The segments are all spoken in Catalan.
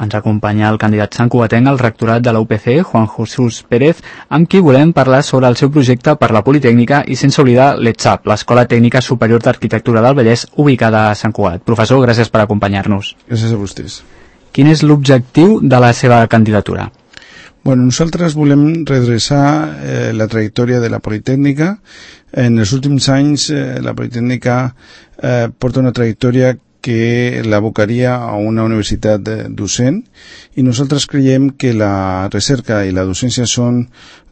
Ens acompanya el candidat santcugatenc al rectorat de la UPC, Juan Jesús Pérez, amb qui volem parlar sobre el seu projecte per la Politècnica i sense oblidar l'ETSAP, l'Escola Tècnica Superior d'Arquitectura del Vallès, ubicada a Sant Cugat. Professor, gràcies per acompanyar-nos. Gràcies a vostès. Quin és l'objectiu de la seva candidatura? Bueno, nosaltres volem redreçar la trajectòria de la Politècnica. En els últims anys la Politècnica porta una trajectòria que l'abocaria a una universitat docent, i nosaltres creiem que la recerca i la docència són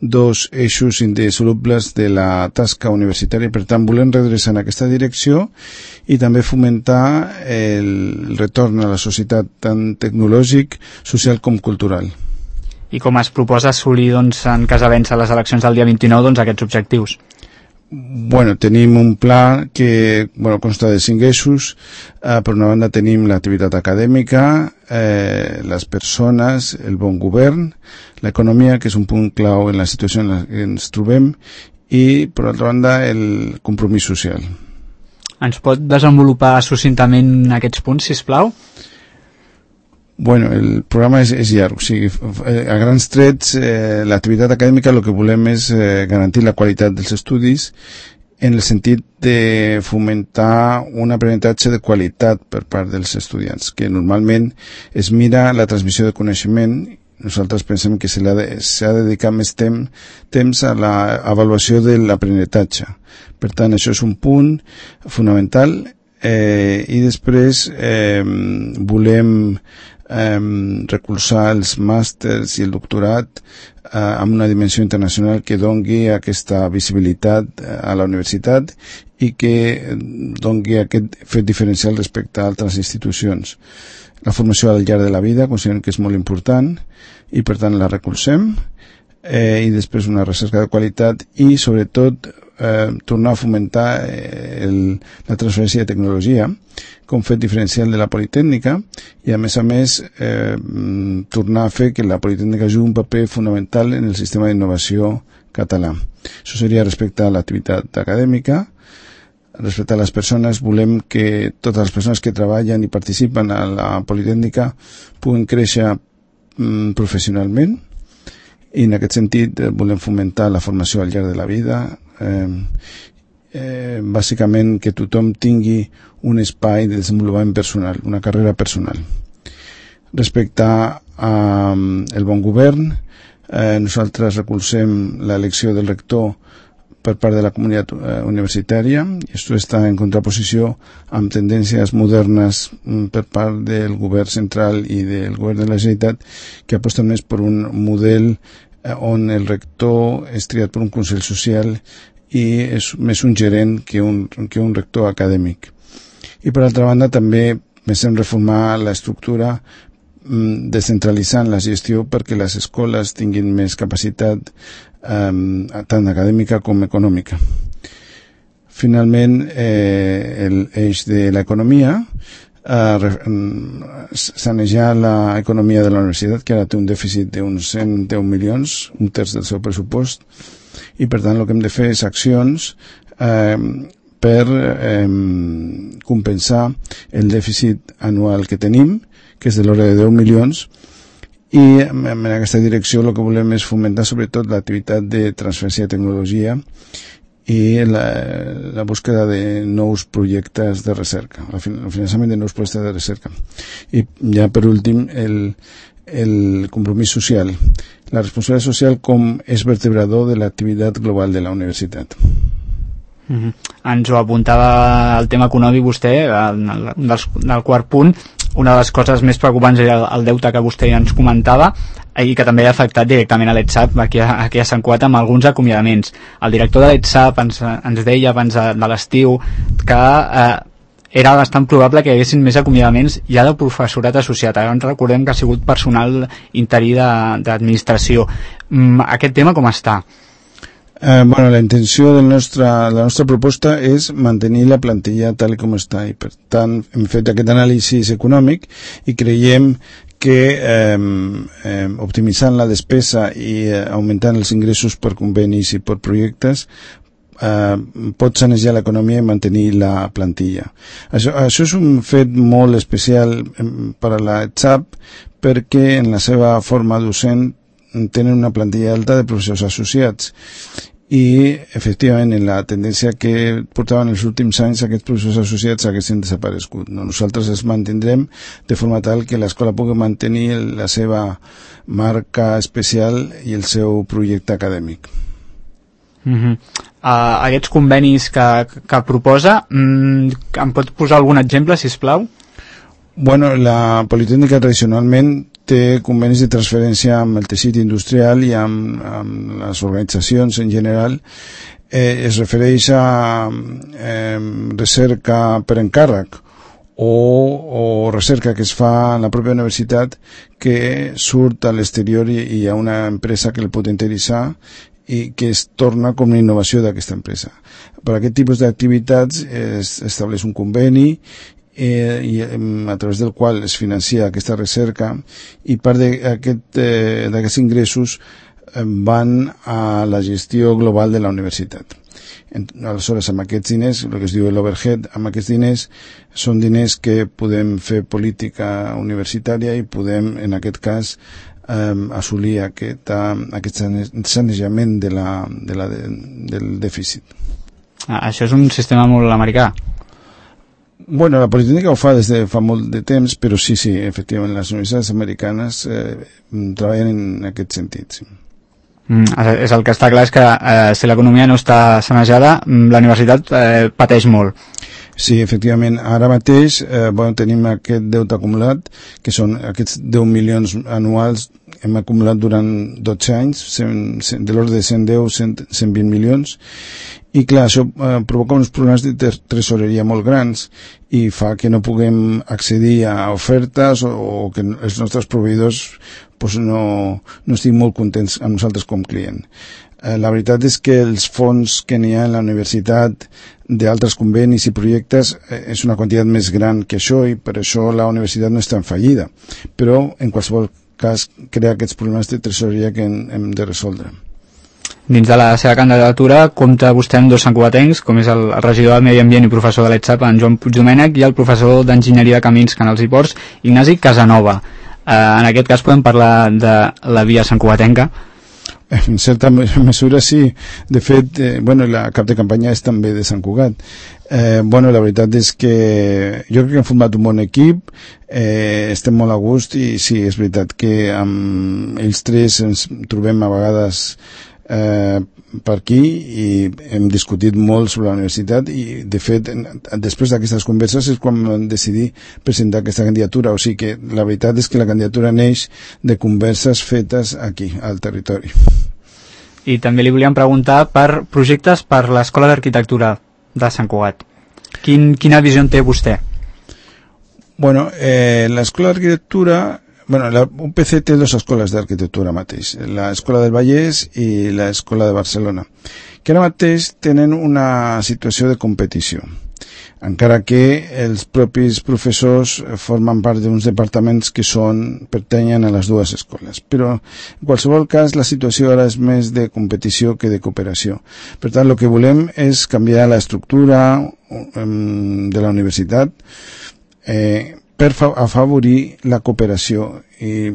dos eixos indissolubles de la tasca universitària. Per tant, volem redreçar en aquesta direcció i també fomentar el retorn a la societat tant tecnològic, social com cultural. I com es proposa assolir, doncs, en cas de vèncer les eleccions del dia 29, doncs, aquests objectius? Bueno, tenim un pla que consta de 5 eixos. Per una banda tenim l'activitat acadèmica, les persones, el bon govern, l'economia, que és un punt clau en la situació en la que ens trobem, i per altra banda el compromís social. Ens pot desenvolupar succintament aquests punts, sisplau? Bueno, el programa és llarg, o sigui, a grans trets, l'activitat acadèmica el que volem és garantir la qualitat dels estudis en el sentit de fomentar un aprenentatge de qualitat per part dels estudiants, que normalment es mira la transmissió de coneixement. Nosaltres pensem que s'ha de dedicar més temps a l'avaluació de l'aprenentatge. Per tant, això és un punt fonamental, i després volem recolzar els màsters i el doctorat amb una dimensió internacional que dongui aquesta visibilitat a la universitat i que dongui aquest fet diferencial respecte a altres institucions. La formació al llarg de la vida considerem que és molt important i per tant la recolzem, i després una recerca de qualitat i sobretot tornar a fomentar la transferència de tecnologia com fet diferencial de la Politècnica, i a més tornar a fer que la Politècnica jugui un paper fonamental en el sistema d'innovació català. Això seria respecte a l'activitat acadèmica. Respecte a les persones, volem que totes les persones que treballen i participen a la Politècnica puguin créixer professionalment, i en aquest sentit volem fomentar la formació al llarg de la vida, bàsicament que tothom tingui un espai de desenvolupament personal, una carrera personal. Respecte al bon govern, nosaltres recolzem l'elecció del rector per part de la comunitat universitària, i això està en contraposició amb tendències modernes per part del govern central i del govern de la Generalitat, que aposten més per un model on el rector és triat per un consell social i és més un gerent que un rector acadèmic. I per altra banda també pensem reformar l'estructura descentralitzant la gestió perquè les escoles tinguin més capacitat tant acadèmica com econòmica. Finalment, l'eix de l'economia, sanejar l'economia de la universitat, que ara té un dèficit d'uns 110 milions, un terç del seu pressupost, i per tant el que hem de fer és accions per compensar el dèficit anual que tenim, que és de l'ordre de 10 milions, i en aquesta direcció el que volem és fomentar sobretot l'activitat de transferència de tecnologia i la búsqueda de nous projectes de recerca, el finançament de nous projectes de recerca. I ja per últim el compromís social, la responsabilitat social com és vertebrador de l'activitat global de la universitat. Ens ho apuntava el tema econòmic vostè, del quart punt. Una de les coses més preocupants era el deute que vostè ens comentava i que també ha afectat directament a l'ETSAP aquí a Sant Cugat amb alguns acomiadaments. El director de l'ETSAP ens deia abans de l'estiu que era bastant probable que hi haguessin més acomiadaments ja de professorat associat. Ara ens recordem que ha sigut personal interí d'administració. Aquest tema com està? La intenció de la nostra proposta és mantenir la plantilla tal com està, i per tant hem fet aquest anàlisi econòmic i creiem que optimitzant la despesa i augmentant els ingressos per convenis i per projectes pot sanejar l'economia i mantenir la plantilla. Això és un fet molt especial per a la ETSAP, perquè en la seva forma docent tenen una plantilla alta de professors associats i efectivament en la tendència que portaven els últims anys aquests professors associats haguessin desaparegut. Nosaltres els mantindrem de forma tal que l'escola pugui mantenir la seva marca especial i el seu projecte acadèmic. Aquests convenis que proposa, em pot posar algun exemple, sisplau? Bueno, la Politécnica tradicionalment té convenis de transferència amb el teixit industrial i amb les organitzacions en general. Es refereix a recerca per encàrrec o recerca que es fa en la pròpia universitat que surt a l'exterior i hi ha una empresa que el pot interessar i que es torna com una innovació d'aquesta empresa. Per aquest tipus d'activitats es estableix un conveni i a través del qual es financia aquesta recerca i part d'aquests ingressos van a la gestió global de la universitat. Aleshores, amb aquests diners, el que es diu l'overhead, amb aquests diners són diners que podem fer política universitària i podem, en aquest cas, assolir aquest sanejament del dèficit. Això és un sistema molt americà. Bueno, la Politécnica ho fa des de fa molt de temps, però sí, efectivament, les universitats americanes treballen en aquest sentit, sí. És el que està clar és que si l'economia no està sanejada, la universitat pateix molt. Sí, efectivament. Ara mateix tenim aquest deute acumulat, que són aquests 10 milions anuals, hem acumulat durant 12 anys, de l'ordre de 110-120 milions, i clar, això provoca uns problemes de tresoreria molt grans i fa que no puguem accedir a ofertes o que els nostres proveïdors no estiguin molt contents amb nosaltres com client. La veritat és que els fons que n'hi ha en la universitat d'altres convenis i projectes és una quantitat més gran que això i per això la universitat no està en fallida, però en qualsevol cas crea aquests problemes de tresoreria que hem de resoldre. Dins de la seva candidatura compta vostè amb dos santcugatencs, com és el regidor de Medi Ambient i professor de l'ETSAP, en Joan Puigdomènech, i el professor d'Enginyeria de Camins, Canals i Ports, Ignasi Casanova. En aquest cas podem parlar de la via santcugatenca? En certa mesura sí. De fet, la cap de campanya és també de Sant Cugat. La veritat és que jo crec que hem format un bon equip, estem molt a gust i sí, és veritat que amb ells tres ens trobem a vegades per aquí i hem discutit molt sobre la universitat i de fet després d'aquestes converses és quan vam decidir presentar aquesta candidatura, o sigui que la veritat és que la candidatura neix de converses fetes aquí al territori. I també li volíem preguntar per projectes per l'Escola d'Arquitectura de Sant Cugat. Quina visió en té vostè? L'Escola d'Arquitectura, la UPC té dues escoles d'arquitectura mateix, l'Escola del Vallès i l'Escola de Barcelona, que ara mateix tenen una situació de competició, encara que els propis professors formen part d'uns departaments que pertanyen a les dues escoles. Però, en qualsevol cas, la situació ara és més de competició que de cooperació. Per tant, el que volem és canviar l'estructura de la universitat per afavorir la cooperació i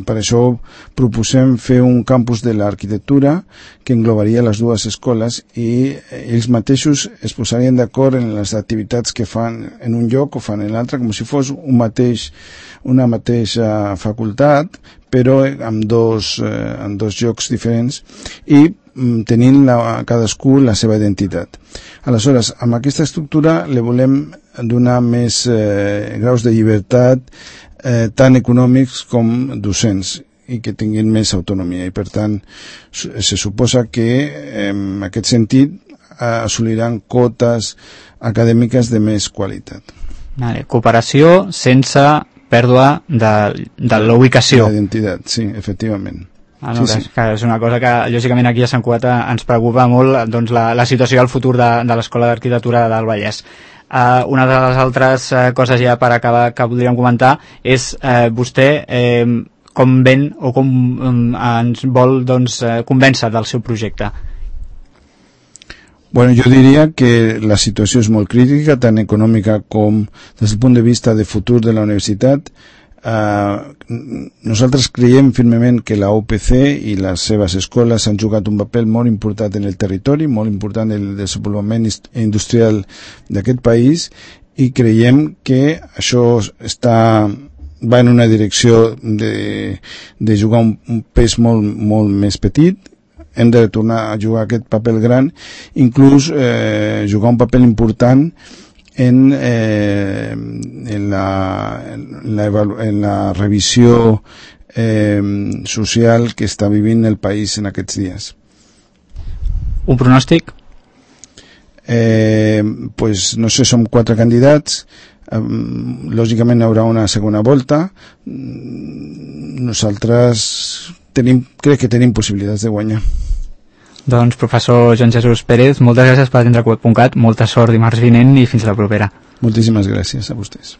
per això proposem fer un campus de l'arquitectura que englobaria les dues escoles i ells mateixos es posarien d'acord en les activitats que fan en un lloc o fan en l'altre, com si fos una mateixa facultat, però amb dos llocs diferents i tenint cadascú la seva identitat. Aleshores, amb aquesta estructura li volem donar més graus de llibertat tant econòmics com docents i que tinguin més autonomia i per tant se suposa que en aquest sentit assoliran cotes acadèmiques de més qualitat. Cooperació sense pèrdua de la ubicació. L'identitat, sí, efectivament. Sí. És una cosa que lògicament aquí a Sant Cugat ens preocupa molt, doncs, la situació al futur de l'Escola d'Arquitectura del Vallès. Una de les altres coses ja per acabar que podríem comentar és vostè com ven o com ens vol convèncer del seu projecte. Bueno, jo diria que la situació és molt crítica, tant econòmica com des del punt de vista de futur de la universitat. Nosaltres creiem firmement que la UPC i les seves escoles han jugat un paper molt important en el territori, molt important en el desenvolupament industrial d'aquest país, i creiem que això va en una direcció de jugar un pes molt més petit. Hem de tornar a jugar aquest paper gran, inclús jugar un paper important en la revisió social que està vivint el país en aquests dies. Un pronòstic? Pues no sé, som 4 candidats, lògicament hi haurà una segona volta. Nosaltres crec que tenim possibilitats de guanyar. Doncs, professor Joan Jesús Pérez, moltes gràcies per atendre Web.cat, molta sort dimarts vinent i fins la propera. Moltíssimes gràcies a vostès.